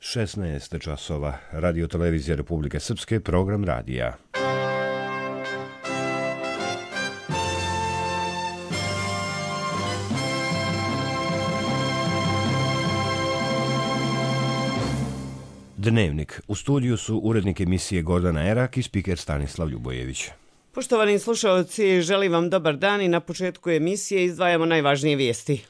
16 časova. Radio Televizija Republike Srpske, program radija. Dnevnik. U studiju su urednik emisije Gordana Erak i spiker Stanislav Ljubojević. Poštovani slušalci, želim vam dobar dan i na početku emisije izdvajamo najvažnije vijesti.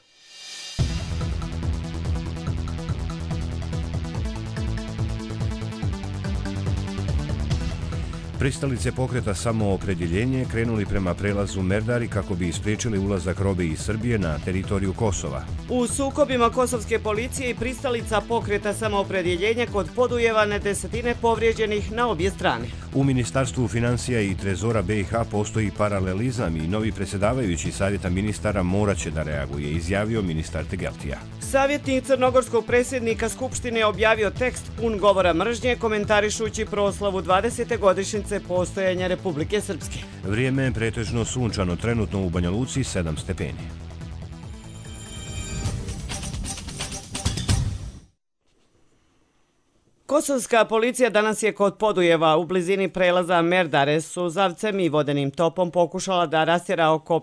Pristalice pokreta Samoopredjeljenje krenuli prema prelazu Merdari kako bi ispriječili ulazak robe iz Srbije na teritoriju Kosova. U sukobima kosovske policije i pristalica pokreta Samoopredjeljenje kod Podujeva na desetine povrijeđenih na obje strane. U Ministarstvu financija i trezora BiH postoji paralelizam i novi predsjedavajući savjeta ministara moraće da reaguje, izjavio ministar Tegeltija. Savjetnik crnogorskog predsjednika Skupštine objavio tekst pun govora mržnje komentarišući proslavu 20. godišnjice postojanja Republike Srpske. Vrijeme je pretežno sunčano, trenutno u Banja Luci 7 stepeni. Kosovska policija danas je kod Podujeva u blizini prelaza Merdare suzavcem i vodenim topom pokušala da rastjera oko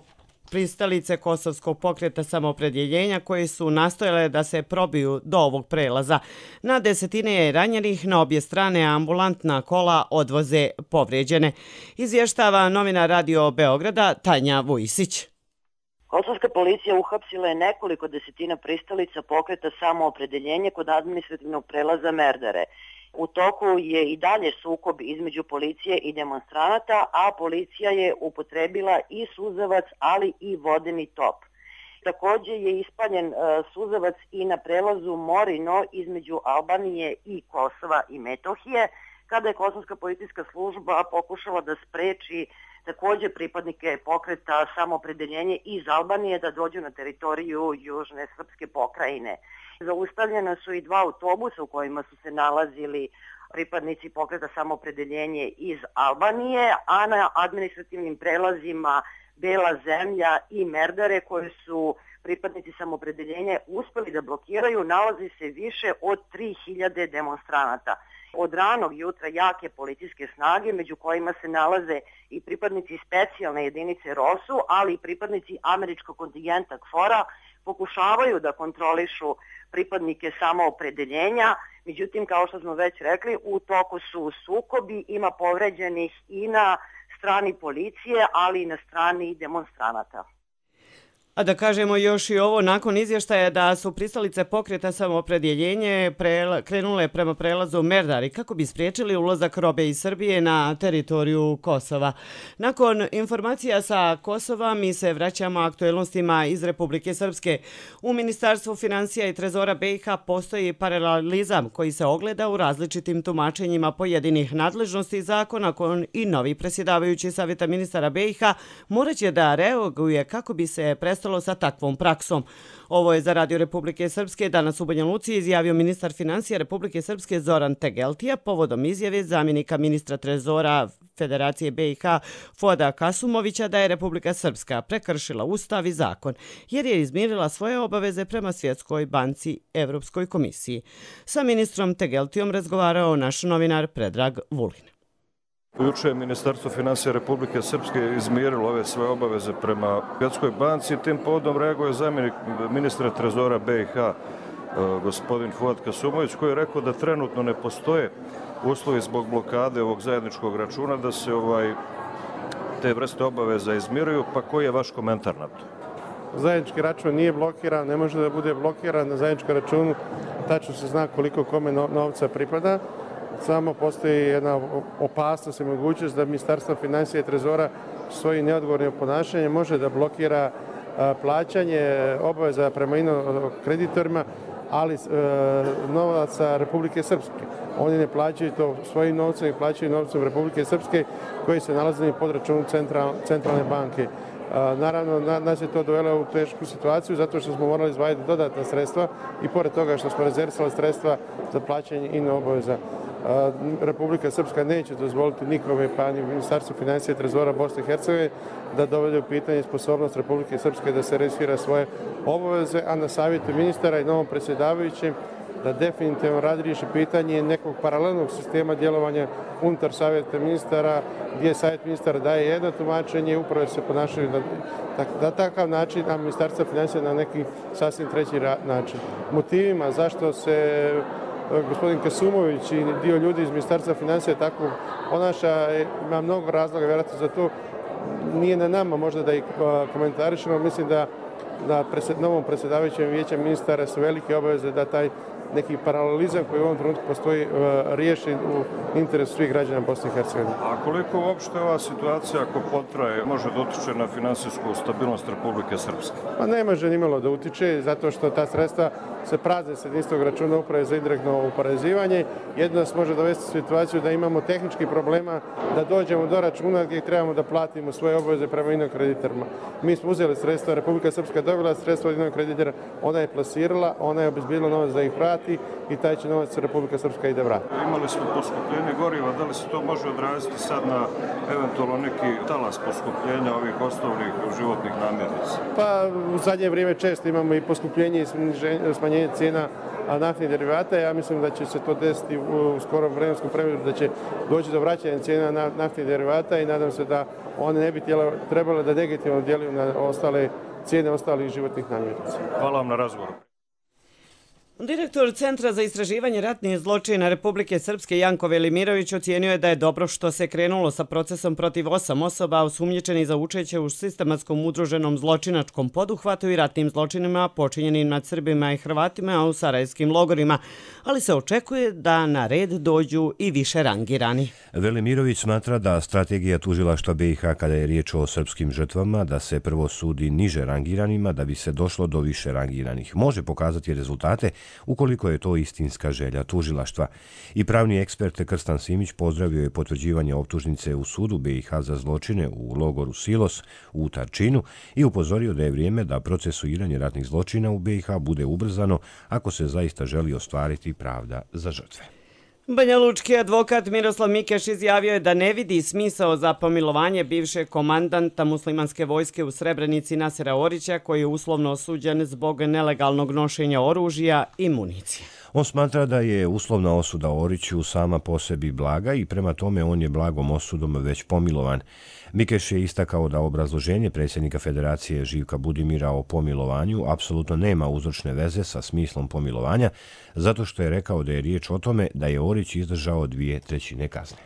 pristalice kosovskog pokreta Samoopredjeljenja koje su nastojale da se probiju do ovog prelaza. Na desetine je ranjenih, na obje strane ambulantna kola odvoze povrijeđene. Izvještava novinar Radio Beograda Tanja Vujisić. Kosovska policija uhapsila je nekoliko desetina pristalica pokreta Samoopredjeljenje kod administrativnog prelaza Merdare. U toku je i dalje sukob između policije i demonstranata, a policija je upotrebila i suzavac, ali i vodeni top. Također je ispaljen suzavac i na prelazu Morino između Albanije i Kosova i Metohije, kada je Kosovska policijska služba pokušala da spreči također pripadnike pokreta Samoopredjeljenje iz Albanije da dođu na teritoriju Južne srpske pokrajine. Zaustavljena su i dva autobusa u kojima su se nalazili pripadnici pokreta Samoopredjeljenje iz Albanije, a na administrativnim prelazima Bela zemlja i Merdare koje su pripadnici Samoopredjeljenja uspjeli da blokiraju, nalazi se više od 3000 demonstranata. Od ranog jutra jake policijske snage, među kojima se nalaze i pripadnici specijalne jedinice ROSU, ali i pripadnici američkog kontingenta KFOR-a, pokušavaju da kontrolišu pripadnike Samoopredjeljenja. Međutim, kao što smo već rekli, u toku su sukobi, ima povređenih i na strani policije, ali i na strani demonstranata. A da kažemo još i ovo, nakon izvještaja da su pristalice pokreta Samoopredjeljenje krenule prema prelazu Merdari kako bi spriječili ulazak robe iz Srbije na teritoriju Kosova. Nakon informacija sa Kosova mi se vraćamo aktuelnostima iz Republike Srpske. U Ministarstvu financija i trezora BiH postoji paralelizam koji se ogleda u različitim tumačenjima pojedinih nadležnosti zakona i novi predsjedavajući savjeta ministara BiH moraće da reaguje kako bi se prestalo sa takvom praksom. Ovo je za Radio Republike Srpske danas u Banja Luci izjavio ministar financija Republike Srpske Zoran Tegeltija povodom izjave zamjenika ministra trezora Federacije BiH Fuada Kasumovića da je Republika Srpska prekršila ustav i zakon jer je izmirila svoje obaveze prema Svjetskoj banci Evropskoj komisiji. Sa ministrom Tegeltijom razgovarao naš novinar Predrag Vulin. Juče je Ministarstvo financija Republike Srpske izmirilo ove svoje obaveze prema Svjetskoj banci. Tim povodom reaguje zamjenik ministra trezora BiH, gospodin Fuad Kasumović, koji je rekao da trenutno ne postoje uslovi zbog blokade ovog zajedničkog računa da se te vrste obaveza izmiruju. Pa koji je vaš komentar na to? Zajednički račun nije blokiran, ne može da bude blokiran. Na zajedničkom računu tačno se zna koliko kome novca pripada. Samo postoji jedna opasnost i mogućnost da Ministarstvo financija i trezora svojim neodgovornim ponašanjem može da blokira plaćanje obaveza prema kreditorima, ali novaca Republike Srpske. Oni ne plaćaju to svojim novcem i plaćaju novcem Republike Srpske koji se nalazi pod računom centralne banke. Naravno, nas je to dovelo u tešku situaciju zato što smo morali izdvajati dodatna sredstva i pored toga što smo rezervisali sredstva za plaćanje obaveza. Republika Srpska neće dozvoliti nikome, pa ni Ministarstvo financija i trezora Bosne i Hercegovine, da dovede u pitanje sposobnost Republike Srpske da se realizira svoje obaveze, a na savjetu ministara i novom predsjedavajućem da definitivno razriješi pitanje nekog paralelnog sistema djelovanja unutar savjeta ministara, gdje savjet ministara daje jedno tumačenje, upravo se ponašaju na takav način, a ministarstvo financija na neki sasvim treći način. Motivima zašto se gospodin Kasumović i dio ljudi iz ministarstva financija tako ponaša, ima mnogo razloga vjerojatno za to. Nije na nama možda da ih komentarišemo. Mislim da na novom predsjedavajućem vijeća ministara su velike obaveze da taj neki paralelizam koji u ovom trenutku postoji riješen u interesu svih građana Bosne i Hercegovine. A koliko uopšte ova situacija, ako potraje, može da utiče na finansijsku stabilnost Republike Srpske? Pa ne može nimalo da utiče, zato što ta sredstva se prazne s jedinstvenog računa uprave za indirektno oporezivanje. Jedno nas može dovesti u situaciju da imamo tehničkih problema da dođemo do računa gdje trebamo da platimo svoje obaveze prema inom kreditorima. Mi smo uzeli sredstva, Republika Srpska je dobila sredstva od inog kreditora, ona je plasirala, ona je obezbijedila novac da ih vrati i taj će novac Republika Srpska i da vrati. Imali smo poskupljenje goriva, da li se to može odraziti sad na eventualno neki talas poskupljenja ovih osnovnih životnih namirnica? Pa u zadnje vrijeme često imamo i poskupljenje i smanjenje cijena naftnih derivata. Ja mislim da će se to desiti u skorom vremenskom periodu, da će doći do vraćanja cijena naftnih derivata i nadam se da one ne bi trebale da negativno djeluju na cijene ostalih životnih namirnica. Hvala vam na razgovoru. Direktor Centra za istraživanje ratnih zločina Republike Srpske Janko Velimirović ocijenio je da je dobro što se krenulo sa procesom protiv 8 osoba osumnjičenih za učešće u sistematskom udruženom zločinačkom poduhvatu i ratnim zločinima počinjenim nad Srbima i Hrvatima u sarajevskim logorima, ali se očekuje da na red dođu i više rangirani. Velimirović smatra da strategija tužilaštva BiH kada je riječ o srpskim žrtvama da se prvo sudi niže rangiranima da bi se došlo do više rangiranih može pokazati rezultate ukoliko je to istinska želja tužilaštva. I pravni ekspert Krstan Simić pozdravio je potvrđivanje optužnice u sudu BiH za zločine u logoru Silos u Tarčinu i upozorio da je vrijeme da procesuiranje ratnih zločina u BiH bude ubrzano ako se zaista želi ostvariti pravda za žrtve. Banjalučki advokat Miroslav Mikeš izjavio je da ne vidi smisao za pomilovanje bivšeg komandanta muslimanske vojske u Srebrenici Nasera Orića, koji je uslovno osuđen zbog nelegalnog nošenja oružja i municije. On smatra da je uslovna osuda Oriću sama po sebi blaga i prema tome on je blagom osudom već pomilovan. Mikeš je istakao da obrazloženje predsjednika Federacije Živka Budimira o pomilovanju apsolutno nema uzročne veze sa smislom pomilovanja, zato što je rekao da je riječ o tome da je Orić izdržao 2/3 kazne.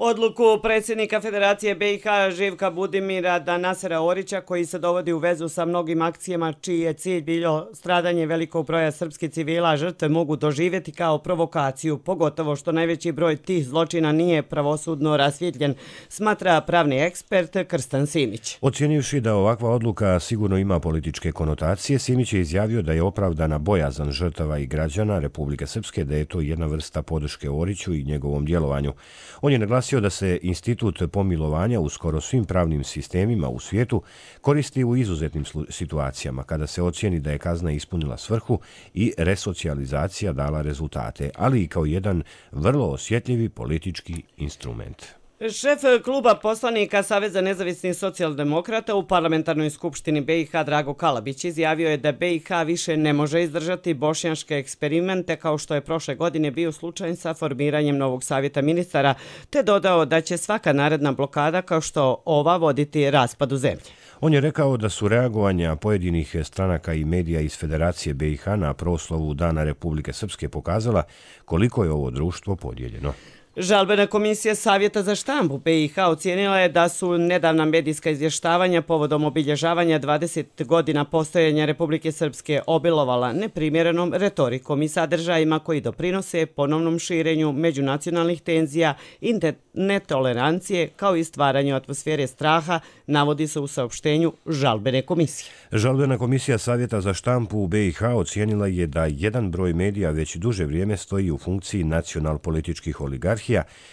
Odluku predsjednika Federacije BiH Živka Budimira da Nasera Orića, koji se dovodi u vezu sa mnogim akcijama čiji je cilj bilo stradanje velikog broja srpskih civila, žrtve mogu doživjeti kao provokaciju, pogotovo što najveći broj tih zločina nije pravosudno rasvjetljen, smatra pravni ekspert Krstan Simić. Ocjenivši da ovakva odluka sigurno ima političke konotacije, Simić je izjavio da je opravdana bojazan žrtava i građana Republike Srpske da je to jedna vrsta podrške Oriću i njegovom djelovanju. On je naglasio da se institut pomilovanja u skoro svim pravnim sistemima u svijetu koristi u izuzetnim situacijama kada se ocijeni da je kazna ispunila svrhu i resocijalizacija dala rezultate, ali i kao jedan vrlo osjetljivi politički instrument. Šef kluba poslanika Saveza nezavisnih socijaldemokrata u parlamentarnoj skupštini BiH Drago Kalabić izjavio je da BiH više ne može izdržati bošnjaške eksperimente kao što je prošle godine bio slučaj sa formiranjem novog savjeta ministara, te dodao da će svaka naredna blokada kao što ova voditi raspadu zemlje. On je rekao da su reagovanja pojedinih stranaka i medija iz Federacije BiH na proslavu Dana Republike Srpske pokazala koliko je ovo društvo podijeljeno. Žalbena komisija Savjeta za štampu BiH ocijenila je da su nedavna medijska izvještavanja povodom obilježavanja 20 godina postojanja Republike Srpske obilovala neprimjerenom retorikom i sadržajima koji doprinose ponovnom širenju međunacionalnih tenzija i netolerancije kao i stvaranju atmosfere straha, navodi se u saopštenju Žalbene komisije. Žalbena komisija Savjeta za štampu u BiH ocijenila je da jedan broj medija već duže vrijeme stoji u funkciji nacional-političkih oligarhija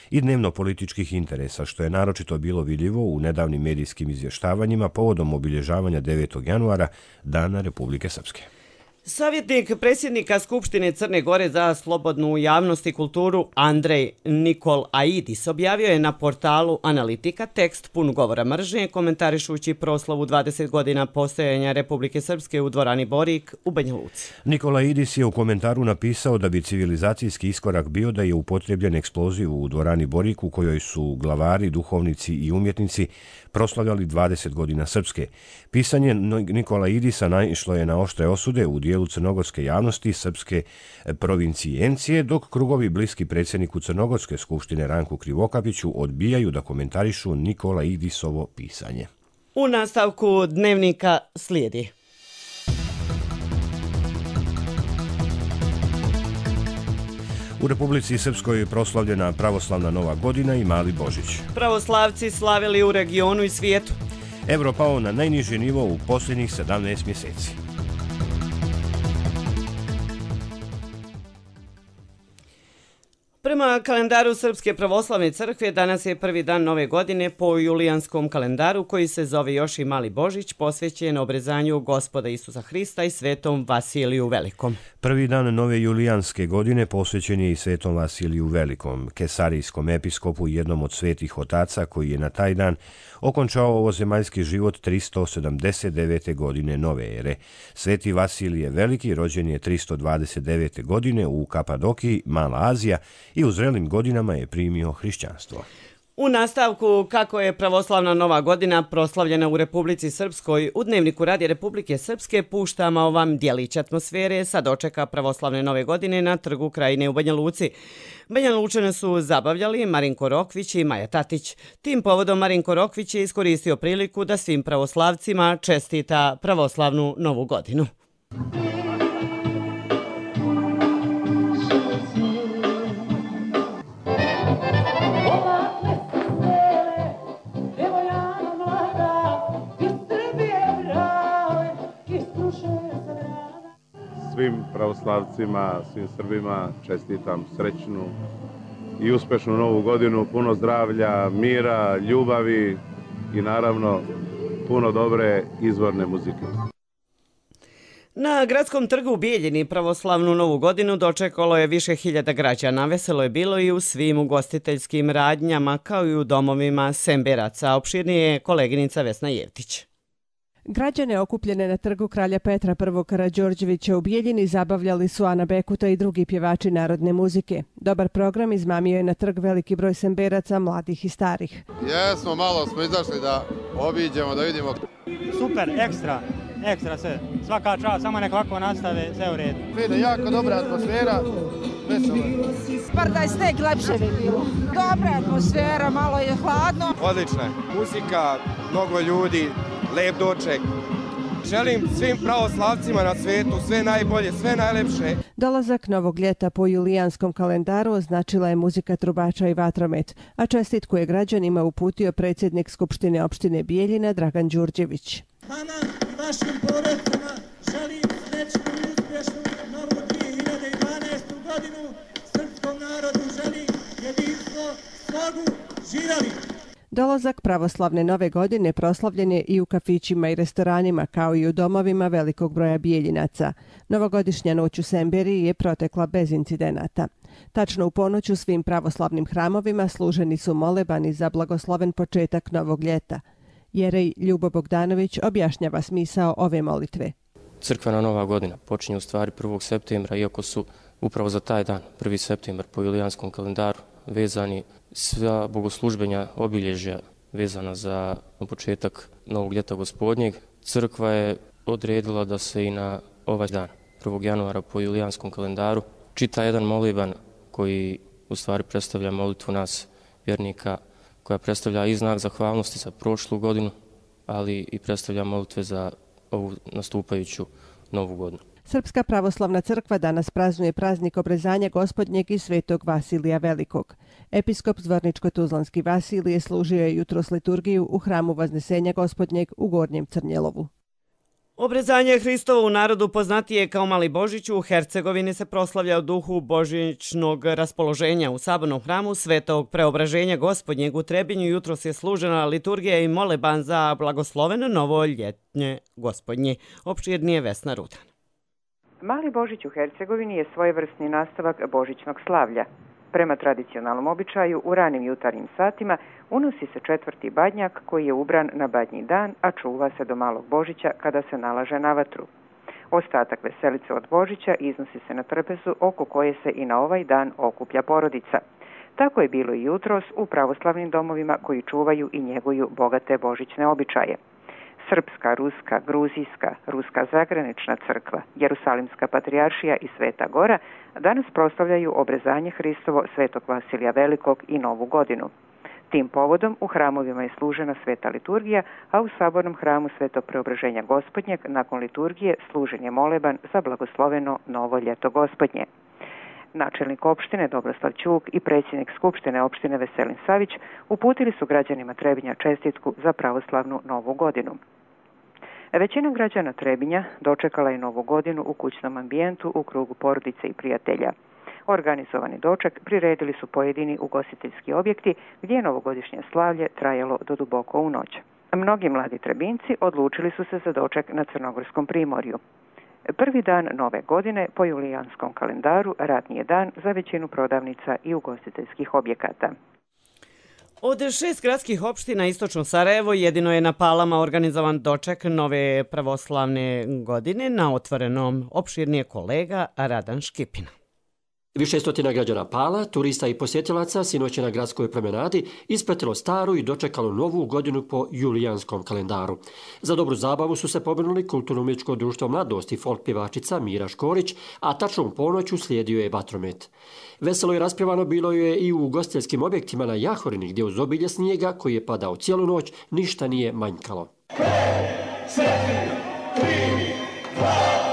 i dnevno-političkih interesa, što je naročito bilo vidljivo u nedavnim medijskim izvještavanjima povodom obilježavanja 9. januara Dana Republike Srpske. Savjetnik predsjednika Skupštine Crne Gore za slobodnu javnost i kulturu Andrej Nikolaidis objavio je na portalu Analitika tekst pun govora mržnje komentarišući proslavu 20 godina postojanja Republike Srpske u dvorani Borik u Banja Luci. Nikolaidis je u komentaru napisao da bi civilizacijski iskorak bio da je upotrebljen eksploziv u dvorani Borik u kojoj su glavari, duhovnici i umjetnici proslavljali 20 godina Srpske. Pisanje Nikolaidisa naišlo je na oštre osude u dijelu crnogorske javnosti srpske provincijencije, dok krugovi bliski predsjedniku Crnogorske skupštine Ranku Krivokapiću odbijaju da komentarišu Nikolaidisovo pisanje. U nastavku dnevnika slijedi. U Republici Srpskoj je proslavljena pravoslavna Nova godina i Mali Božić. Pravoslavci slavili u regionu i svijetu. Evro pao na najniži nivo u posljednjih 17 mjeseci. Prema kalendaru Srpske pravoslavne crkve danas je prvi dan nove godine po julijanskom kalendaru koji se zove još i Mali Božić, posvećen obrezanju Gospoda Isusa Hrista i svetom Vasiliju Velikom. Prvi dan nove julijanske godine posvećen je i svetom Vasiliju Velikom, kesarijskom episkopu, jednom od svetih otaca koji je na taj dan okončao ovozemaljski život 379. godine nove ere. Sveti Vasilije Veliki rođen je 329. godine u Kapadokiji, Mala Azija, i u zrelim godinama je primio hrišćanstvo. U nastavku kako je pravoslavna Nova godina proslavljena u Republici Srpskoj, u Dnevniku Radija Republike Srpske puštamo vam dijelić atmosfere sa dočeka pravoslavne Nove godine na Trgu Krajine u Banja Luci. Banja Lučane su zabavljali Marinko Rokvić i Maja Tatić. Tim povodom Marinko Rokvić je iskoristio priliku da svim pravoslavcima čestita pravoslavnu Novu godinu. Svim pravoslavcima, svim Srbima čestitam srećnu i uspešnu Novu godinu, puno zdravlja, mira, ljubavi i naravno puno dobre izvorne muzike. Na Gradskom trgu u Bijeljini pravoslavnu Novu godinu dočekalo je više hiljada građana. Veselo je bilo i u svim ugostiteljskim radnjama kao i u domovima Semberaca. Opširnije je koleginica Vesna Jevtić. Građane okupljene na trgu Kralja Petra I. Karađorđevića u Bijeljini zabavljali su Ana Bekuta i drugi pjevači narodne muzike. Dobar program izmamio je na trg veliki broj Semberaca, mladih i starih. Jesmo, malo smo izašli da obiđemo, da vidimo. Super, ekstra sve. Svaka čast, samo nek ovako nastave, sve u redu. Fine, jako dobra atmosfera, veselo. Bar da je sneg lepše bi bilo. Dobra atmosfera, malo je hladno. Odlična je. Muzika, mnogo ljudi, lep doček. Želim svim pravoslavcima na svijetu sve najbolje, sve najlepše. Dolazak novog ljeta po julijanskom kalendaru označila je muzika trubača i vatromet, a čestitku je građanima uputio predsjednik Skupštine opštine Bijeljina Dragan Đurđević. Vama i vašim porodicama želim srećnu i uspješnu novu 2012. godinu. Srpskom narodu želim jedinstvo, slogu, živjeli! Dolazak pravoslavne Nove godine proslavljen je i u kafićima i restoranima, kao i u domovima velikog broja Bijeljinaca. Novogodišnja noć u Semberiji je protekla bez incidenata. Tačno u ponoć u svim pravoslavnim hramovima služeni su molebani za blagosloven početak novog ljeta. Jerej Ljubo Bogdanović objašnjava smisao ove molitve. Crkvena Nova godina počinje u stvari 1. septembra, iako su upravo za taj dan, 1. septembar po julijanskom kalendaru, vezani sva bogoslužbenja obilježja vezana za početak novog ljeta gospodnjeg. Crkva je odredila da se i na ovaj dan, 1. januara po julijanskom kalendaru, čita jedan moliban koji u stvari predstavlja molitvu nas vjernika, koja predstavlja i znak zahvalnosti za prošlu godinu, ali i predstavlja molitve za ovu nastupajuću novu godinu. Srpska pravoslavna crkva danas praznuje praznik obrezanja Gospodnjeg i svetog Vasilija Velikog. Episkop Zvorničko-Tuzlanski Vasilije služio je jutros liturgiju u hramu Vaznesenja Gospodnjeg u Gornjem Crnjelovu. Obrezanje Hristovo u narodu poznatije kao Mali Božić u Hercegovini se proslavlja u duhu božićnog raspoloženja. U sabornom hramu Svetog Preobraženja Gospodnjeg u Trebinju jutros je služena liturgija i moleban za blagosloveno novo ljetnje Gospodnje. Opširnije Vesna Rudan. Mali Božić u Hercegovini je svojevrsni nastavak božićnog slavlja. Prema tradicionalnom običaju, u ranim jutarnjim satima unosi se četvrti badnjak koji je ubran na badnji dan, a čuva se do malog Božića kada se nalaže na vatru. Ostatak veselice od Božića iznosi se na trpezu oko koje se i na ovaj dan okuplja porodica. Tako je bilo i jutros u pravoslavnim domovima koji čuvaju i njeguju bogate božićne običaje. Srpska, ruska, gruzijska, ruska zagranična crkva, Jerusalimska patrijaršija i Sveta Gora danas proslavljaju obrezanje Hristovo Svetog Vasilija Velikog i Novu godinu. Tim povodom u hramovima je služena sveta liturgija, a u sabornom hramu Svetog Preobraženja Gospodnjeg nakon liturgije služen je moleban za blagosloveno novo ljeto Gospodnje. Načelnik opštine Dobroslav Ćuk i predsjednik Skupštine opštine Veselin Savić uputili su građanima Trebinja čestitku za pravoslavnu Novu godinu. Većina građana Trebinja dočekala je Novu godinu u kućnom ambijentu u krugu porodice i prijatelja. Organizovani doček priredili su pojedini ugostiteljski objekti gdje je novogodišnje slavlje trajalo do duboko u noć. Mnogi mladi Trebinci odlučili su se za doček na Crnogorskom primorju. Prvi dan nove godine po julijanskom kalendaru radni je dan za većinu prodavnica i ugostiteljskih objekata. Od 6 gradskih opština istočno Sarajevo jedino je na Palama organizovan doček nove pravoslavne godine. Na Otvorenom opširnije kolega Radan Škipina. Više stotina građana Pala, turista i posjetilaca sinoć je na gradskoj promenadi ispratilo staru i dočekalo novu godinu po julijanskom kalendaru. Za dobru zabavu su se pobrinuli Kulturno-umjetničko društvo Mladost i folk pjevačica Mira Škorić, a tačnom ponoću slijedio je vatromet. Veselo i raspjevano bilo je i u ugostiteljskim objektima na Jahorini, gdje uz obilje snijega koji je padao cijelu noć ništa nije manjkalo. 5, 4, 3, 2,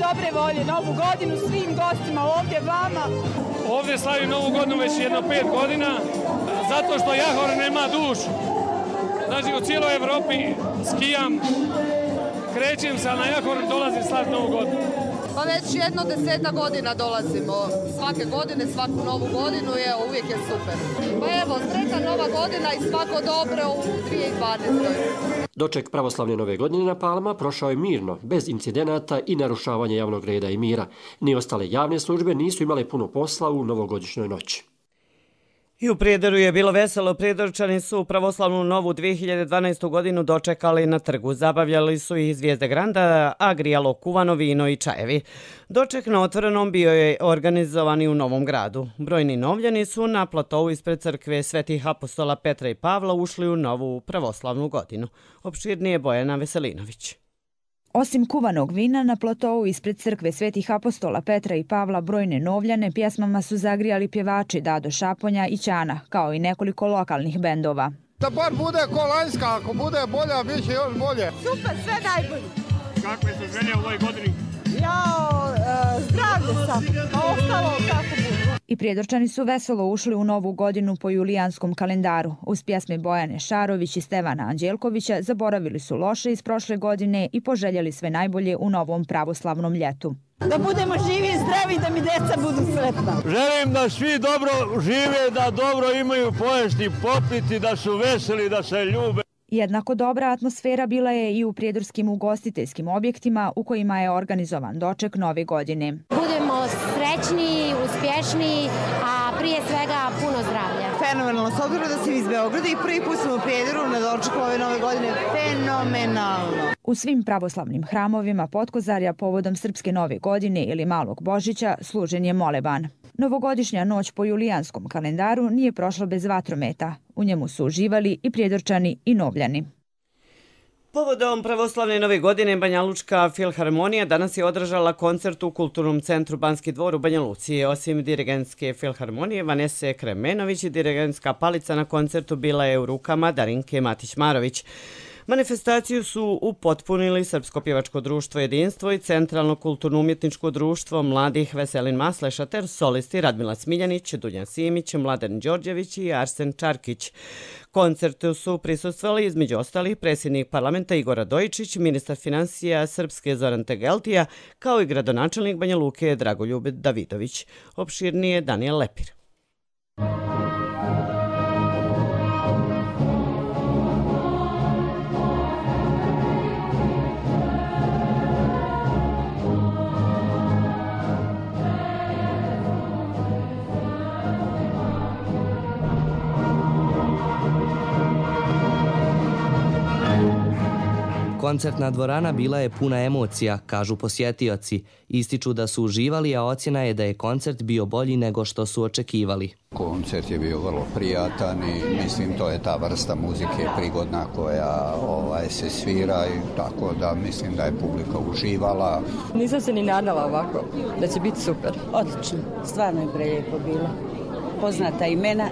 dobre volje, Novu godinu svim gostima ovdje, vama. Ovdje slavim Novu godinu već jedno 5 godina, zato što Jahor nema dušu. Znači u cijeloj Evropi skijam, krećem se, a na Jahor dolazim slaviti Novu godinu. Pa već jedno 10 godina dolazimo. Svake godine, svaku Novu godinu je uvijek je super. Pa evo, sretna Nova godina i svako dobro u 2012. Doček pravoslavne nove godine na Palama prošao je mirno, bez incidenata i narušavanja javnog reda i mira. Ni ostale javne službe nisu imale puno posla u novogodišnjoj noći. I u Prijedoru je bilo veselo. Prijedorčani su pravoslavnu novu 2012. godinu dočekali na trgu. Zabavljali su i Zvijezde Granda, a grijalo kuvano vino i čajevi. Doček na Otvorenom bio je organizovan i u Novom Gradu. Brojni novljani su na platovu ispred crkve Svetih apostola Petra i Pavla ušli u novu pravoslavnu godinu. Opširnije Bojana Veselinović. Osim kuvanog vina, na platovu ispred crkve Svetih apostola Petra i Pavla brojne novljane pjesmama su zagrijali pjevači Dado Šaponja i Ćana, kao i nekoliko lokalnih bendova. Da bar bude ko lanjska, ako bude bolja, bit će još bolje. Super, sve najbolje. Kakve su želje u ovoj godini? Zdravlje sam, a ostalo kako bude. I Prijedorčani su veselo ušli u novu godinu po julijanskom kalendaru. Uz pjesme Bojane Šarović i Stevana Anđelkovića zaboravili su loše iz prošle godine i poželjeli sve najbolje u novom pravoslavnom ljetu. Da budemo živi i zdravi, da mi djeca budu sretna. Želim da svi dobro žive, da dobro imaju pojesti, popiti, da su veseli, da se ljube. Jednako dobra atmosfera bila je i u prijedorskim ugostiteljskim objektima u kojima je organizovan doček nove godine. Budemo srećni, uspješni, a prije svega puno zdravlja. Fenomenalno, s obzirom da sam iz Beograda i prvi put sam u Prijedoru na dočeku ove nove godine. Fenomenalno. U svim pravoslavnim hramovima Potkozarja povodom Srpske nove godine ili Malog Božića služen je moleban. Novogodišnja noć po julijanskom kalendaru nije prošla bez vatrometa. U njemu su uživali i Prijedorčani i novljani. Povodom pravoslavne nove godine Banjalučka filharmonija danas je održala koncert u Kulturnom centru Banski dvor u Banja Luci. Osim dirigentske filharmonije Vanese Kremenović i dirigentska palica na koncertu bila je u rukama Darinke Matić-Marović. Manifestaciju su upotpunili Srpsko pjevačko društvo Jedinstvo i Centralno kulturno-umjetničko društvo mladih Veselin Masleša ter solisti Radmila Smiljanić, Dunja Simić, Mladen Đorđević i Arsen Čarkić. Koncertu su prisustvovali između ostalih predsjednik parlamenta Igor Radojičić, ministar financija Srpske Zoran Tegeltija, kao i gradonačelnik Banja Luke Dragoljub Davidović. Opširnije Daniel Lepir. Koncertna dvorana bila je puna emocija, kažu posjetioci. Ističu da su uživali, a ocjena je da je koncert bio bolji nego što su očekivali. Koncert je bio vrlo prijatan i mislim to je ta vrsta muzike prigodna koja se svira i tako da mislim da je publika uživala. Nisam se ni nadala ovako, da će biti super. Odlično, stvarno je prelijepo bilo. Poznata imena,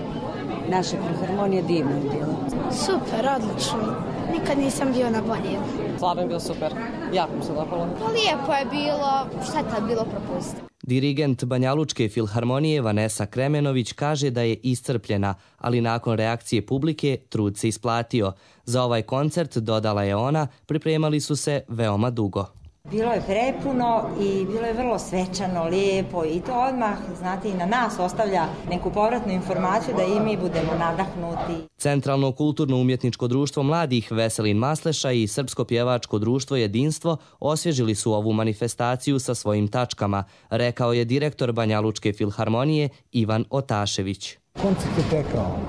naše filharmonije divno je bilo. Super, odlično. Nikad nisam bio na bolje. Stvarno je bilo super. Jako mi se dopalo. Lijepo je bilo. Šteta je bilo propustiti. Dirigent Banjalučke filharmonije Vanesa Kremenović kaže da je iscrpljena, ali nakon reakcije publike trud se isplatio. Za ovaj koncert, dodala je ona, pripremali su se veoma dugo. Bilo je prepuno i bilo je vrlo svečano, lijepo i to odmah, znate, i na nas ostavlja neku povratnu informaciju da i mi budemo nadahnuti. Centralno kulturno-umjetničko društvo mladih Veselin Masleša i Srpsko pjevačko društvo Jedinstvo osvježili su ovu manifestaciju sa svojim tačkama, rekao je direktor Banjalučke filharmonije Ivan Otašević. Koncert je tekao.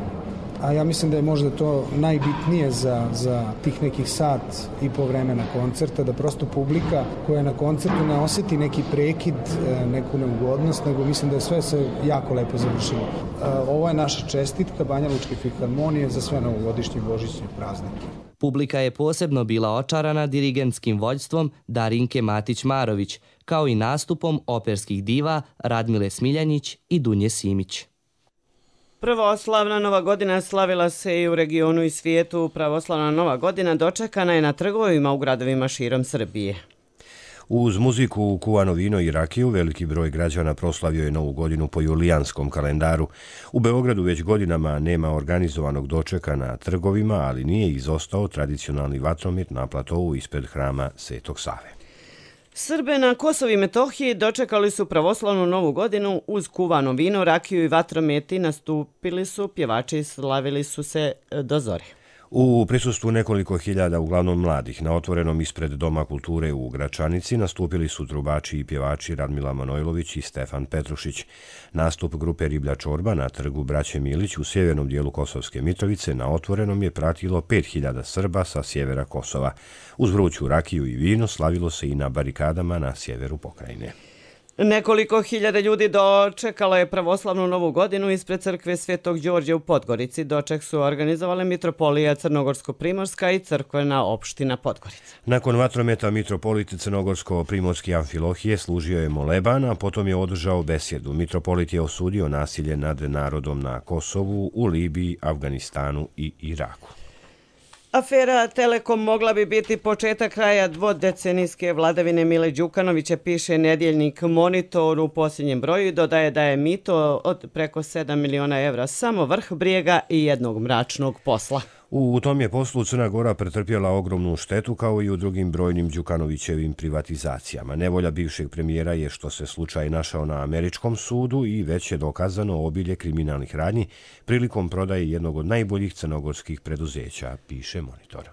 A ja mislim da je možda to najbitnije za tih nekih sat i po vremena koncerta, da prosto publika koja na koncertu ne osjeti neki prekid, neku neugodnost, nego mislim da je sve se jako lepo završilo. Ovo je naša čestitka Banjalučke filharmonije za sve novogodišnje božićne praznike. Publika je posebno bila očarana dirigentskim vođstvom Darinke Matić-Marović, kao i nastupom operskih diva Radmile Smiljanić i Dunje Simić. Pravoslavna Nova godina slavila se i u regionu i svijetu. Pravoslavna Nova godina dočekana je na trgovima u gradovima širom Srbije. Uz muziku, kuvano vino i rakiju, veliki broj građana proslavio je Novu godinu po julijanskom kalendaru. U Beogradu već godinama nema organizovanog dočeka na trgovima, ali nije izostao tradicionalni vatromet na platovu ispred hrama Svetog Save. Srbe na Kosovu i Metohiji dočekali su pravoslavnu Novu godinu uz kuvano vino, rakiju i vatrometi, nastupili su pjevači i slavili su se do zore. U prisustvu nekoliko hiljada, uglavnom mladih, na otvorenom ispred Doma kulture u Gračanici nastupili su trubači i pjevači Radmila Manojlović i Stefan Petrušić. Nastup grupe Riblja čorba na trgu Braće Milić u sjevernom dijelu Kosovske Mitrovice na otvorenom je pratilo 5000 Srba sa sjevera Kosova. Uz vruću rakiju i vino slavilo se i na barikadama na sjeveru pokrajine. Nekoliko hiljada ljudi dočekalo je pravoslavnu Novu godinu ispred crkve Svetog Đorđa u Podgorici. Doček su organizovale Mitropolija Crnogorsko-Primorska i crkvena opština Podgorica. Nakon vatrometa mitropolit Crnogorsko-Primorski Amfilohije služio je moleban, a potom je održao besjedu. Mitropolit je osudio nasilje nad narodom na Kosovu, u Libiji, Afganistanu i Iraku. Afera Telekom mogla bi biti početak kraja dvodecenijske vladavine Mile Đukanovića, piše nedjeljnik Monitor u posljednjem broju i dodaje da je mito od preko 7 miliona evra samo vrh brijega i jednog mračnog posla. U tom je poslu Crna Gora pretrpjela ogromnu štetu kao i u drugim brojnim Đukanovićevim privatizacijama. Nevolja bivšeg premijera je što se slučaj našao na američkom sudu i već je dokazano obilje kriminalnih radnji prilikom prodaje jednog od najboljih crnogorskih preduzeća, piše Monitor.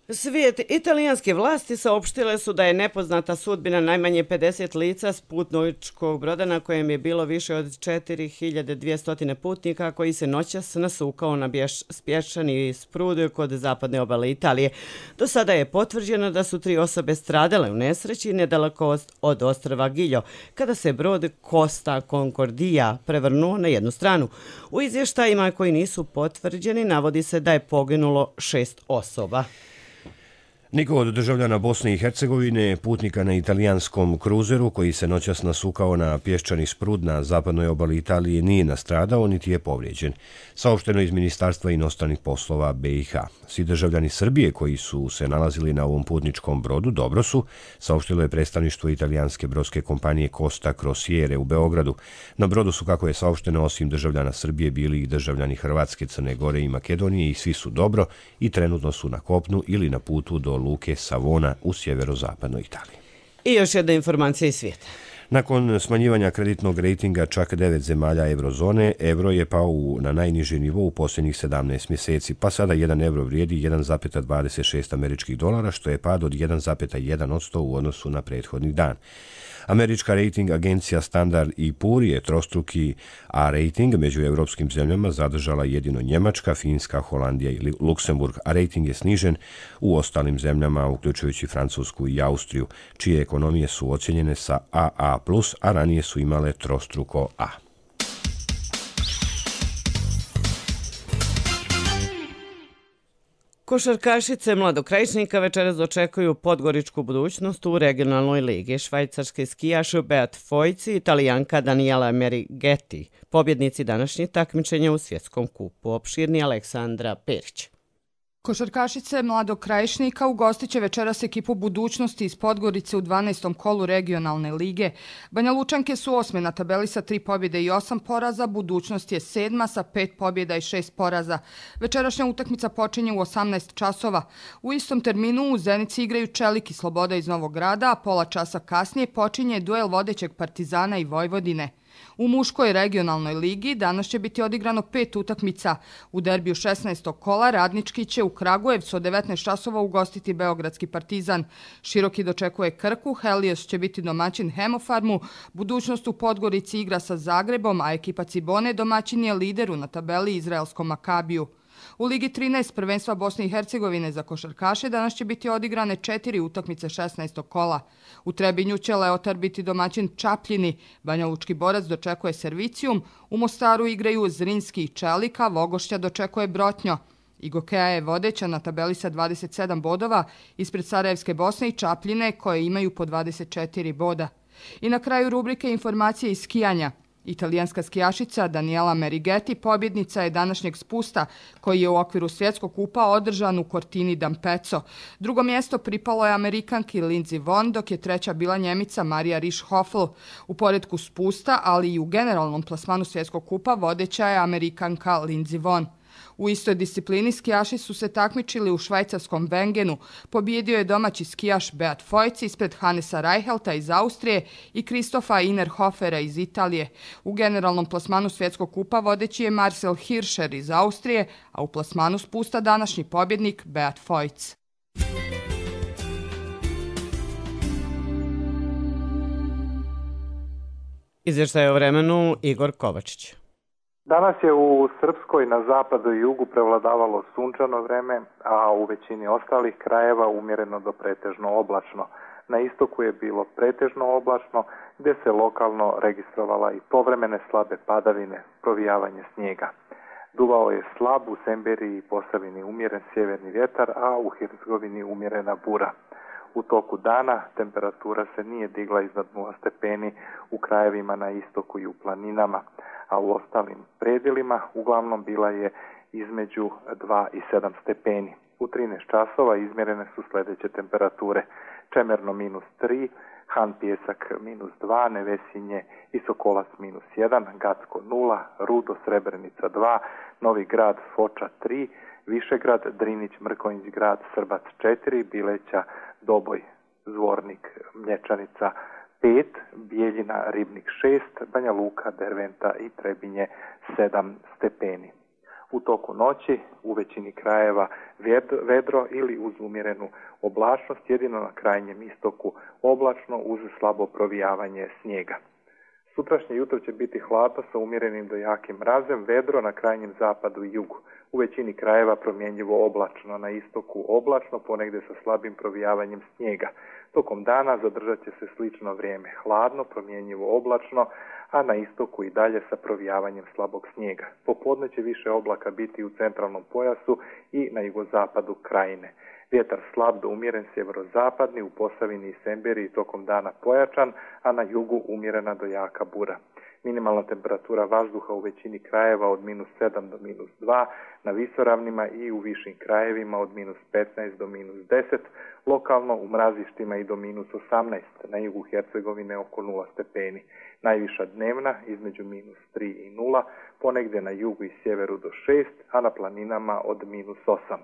Svijet italijanske vlasti saopštile su da je nepoznata sudbina najmanje 50 lica s putničkog broda na kojem je bilo više od 4200 putnika koji se noćas nasukao na spješčani sprud kod zapadne obale Italije. Do sada je potvrđeno da su 3 osobe stradale u nesreći nedaleko od ostrva Giljo, kada se brod Costa Concordia prevrnuo na jednu stranu. U izvještajima koji nisu potvrđeni navodi se da je poginulo 6 osoba. Niko od državljana Bosne i Hercegovine, putnika na italijanskom kruzeru koji se noćas nasukao na pješčani sprud na zapadnoj obali Italije nije nastradao niti je povrijeđen, saopšteno iz Ministarstva inostranih poslova BiH. Svi državljani Srbije koji su se nalazili na ovom putničkom brodu dobro su, saopštilo je predstavništvo italijanske brodske kompanije Costa Crociere u Beogradu. Na brodu su, kako je saopšteno, osim državljana Srbije bili i državljani Hrvatske, Crne Gore i Makedonije i svi su dobro i trenutno su na kopnu ili na putu do luke Savona u sjeverozapadnoj Italiji. I još jedna informacija iz svijeta. Nakon smanjivanja kreditnog rejtinga čak 9 zemalja eurozone, euro je pao na najniži nivo u posljednjih 17 mjeseci, pa sada 1 euro vrijedi 1,26 američkih dolara, što je pad od 1,1% u odnosu na prethodni dan. Američka rating agencija Standard & Poor je trostruki A rating među europskim zemljama zadržala jedino Njemačka, Finska, Holandija i Luksemburg, a rating je snižen u ostalim zemljama, uključujući Francusku i Austriju, čije ekonomije su ocjenjene sa AA+, a ranije su imale trostruko A. Košarkašice Mladokrajičnika večeras dočekuju podgoričku budućnost u regionalnoj ligi. Švajcarski skijaš Beat Fojci i Italijanka Daniela Merigeti, pobjednici današnjih takmičenja u svjetskom kupu. Opširni Aleksandra Perić. Košarkašice Mladog Krajišnika ugostit će večeras ekipu budućnosti iz Podgorice u 12. kolu regionalne lige. Banja Lučanke su 8. na tabeli sa 3 pobjede i 8 poraza, budućnost je 7. sa 5 pobjeda i 6 poraza. Večerašnja utakmica počinje u 18 časova. U istom terminu u Zenici igraju Čelik i Sloboda iz Novog Grada, a pola časa kasnije počinje duel vodećeg Partizana i Vojvodine. U muškoj regionalnoj ligi danas će biti odigrano 5 utakmica. U derbiju 16. kola Radnički će u Kragujevcu od 19 časova ugostiti Beogradski Partizan. Široki dočekuje Krku, Helios će biti domaćin Hemofarmu, budućnost u Podgorici igra sa Zagrebom, a ekipa Cibone domaćin je lideru na tabeli izraelskom Makabiju. U Ligi 13 prvenstva Bosne i Hercegovine za košarkaše danas će biti odigrane 4 utakmice 16. kola. U Trebinju će Leotar biti domaćin Čapljini, Banja Lučki Borac dočekuje Servicijum, u Mostaru igraju Zrinski i Čelika, Vogošća dočekuje Brotnjo. Igokeja je vodeća na tabeli sa 27 bodova ispred Sarajevske Bosne i Čapljine koje imaju po 24 boda. I na kraju rubrike informacije iz skijanja. Italijanska skijašica Daniela Merigeti pobjednica je današnjeg spusta koji je u okviru svjetskog kupa održan u Cortini d'Ampezzo. Drugo mjesto pripalo je Amerikanki Lindsey Vonn, dok je treća bila Njemica Marija Risch-Hoffel. U poretku spusta, ali i u generalnom plasmanu svjetskog kupa vodeća je Amerikanka Lindsey Vonn. U istoj disciplini skijaši su se takmičili u švajcarskom Wengenu. Pobjedio je domaći skijaš Beat Fojci ispred Hannesa Reichelta iz Austrije i Kristofa Innerhofera iz Italije. U generalnom plasmanu svjetskog kupa vodeći je Marcel Hirscher iz Austrije, a u plasmanu spusta današnji pobjednik Beat Fojc. Izvještaj o vremenu Igor Kovačić. Danas je u Srpskoj na zapadu i jugu prevladavalo sunčano vreme, a u većini ostalih krajeva umjereno do pretežno oblačno. Na istoku je bilo pretežno oblačno, gdje se lokalno registrovala i povremene slabe padavine, provijavanje snijega. Duvao je slab u Semberiji i Posavini umjeren sjeverni vjetar, a u Hercegovini umjerena bura. U toku dana temperatura se nije digla iznad 0 stepeni u krajevima na istoku i u planinama, a u ostalim predjelima uglavnom bila je između 2 i 7 stepeni. U 13 časova izmjerene su sljedeće temperature: Čemerno -3, Han Pjesak -2, Nevesinje i Sokolac -1, Gacko 0, Rudo Srebrenica 2, Novi Grad Foča 3, Višegrad, Drinić, Mrkonjić Grad, Srbac 4, Bileća, Doboj, Zvornik, Mlječanica 5, Bijeljina, Ribnik 6, Banja Luka, Derventa i Trebinje 7 stepeni. U toku noći u većini krajeva vedro ili uz umjerenu oblačnost, jedino na krajnjem istoku oblačno uz slabo provijavanje snijega. Sutrašnje jutro će biti hladno sa umjerenim do jakim mrazem, vedro na krajnjem zapadu i jugu. U većini krajeva promjenjivo oblačno, na istoku oblačno, ponegdje sa slabim provijavanjem snijega. Tokom dana zadržat će se slično vrijeme, hladno, promjenjivo oblačno, a na istoku i dalje sa provijavanjem slabog snijega. Popodne će više oblaka biti u centralnom pojasu i na jugozapadu krajine. Vjetar slab do umjeren sjeverozapadni, u Posavini i Semberiji tokom dana pojačan, a na jugu umjerena do jaka bura. Minimalna temperatura vazduha u većini krajeva od -7 do -2, na visoravnima i u višim krajevima od -15 do -10, lokalno u mrazištima i do -18, na jugu Hercegovine oko 0 stepeni. Najviša dnevna između -3 i 0, ponegdje na jugu i sjeveru do 6, a na planinama od -8.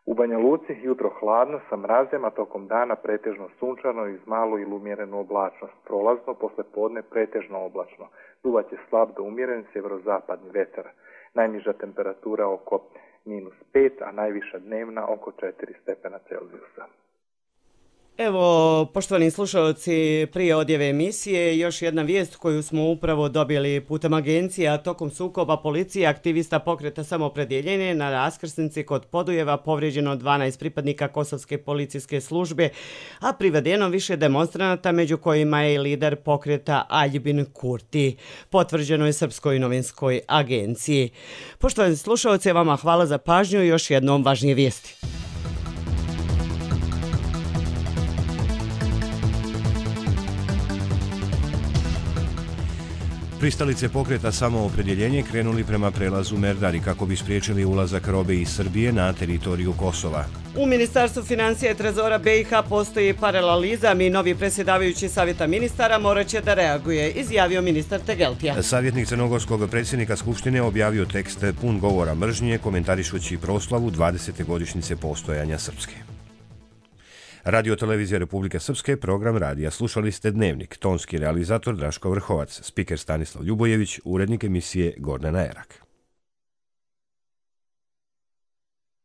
U Banja Luci jutro hladno sa mrazem, a tokom dana pretežno sunčano i uz malu ili umjerenu oblačnost. Prolazno, posle podne pretežno oblačno. Duvat će slab do umjeren sjeverozapadni vetar. Najniža temperatura oko -5, a najviša dnevna oko 4 stepena Celzijusa. Evo, poštovani slušalci, prije odjave emisije, još jedna vijest koju smo upravo dobili putem agencija. Tokom sukoba policije aktivista pokreta Samoopredjeljenje na raskrsnici kod Podujeva povrijeđeno 12 pripadnika kosovske policijske službe, a privedeno više demonstranata, među kojima je i lider pokreta Aljbin Kurti. Potvrđeno je Srpskoj novinskoj agenciji. Poštovani slušalci, vama hvala za pažnju i još jednom važnije vijesti. Pristalice pokreta Samoopredjeljenje krenuli prema prelazu Merdari kako bi spriječili ulazak robe iz Srbije na teritoriju Kosova. U Ministarstvu financija i trezora BiH postoji paralelizam i novi predsjedavajući savjeta ministara morat će da reaguje, izjavio ministar Tegeltija. Savjetnik crnogorskog predsjednika Skupštine objavio tekst pun govora mržnje komentarišući proslavu 20. godišnjice postojanja Srpske. Radio Televizija Republike Srpske, program radija. Slušali ste Dnevnik, tonski realizator Draško Vrhovac, spiker Stanislav Ljubojević, urednik emisije Gordana Erak.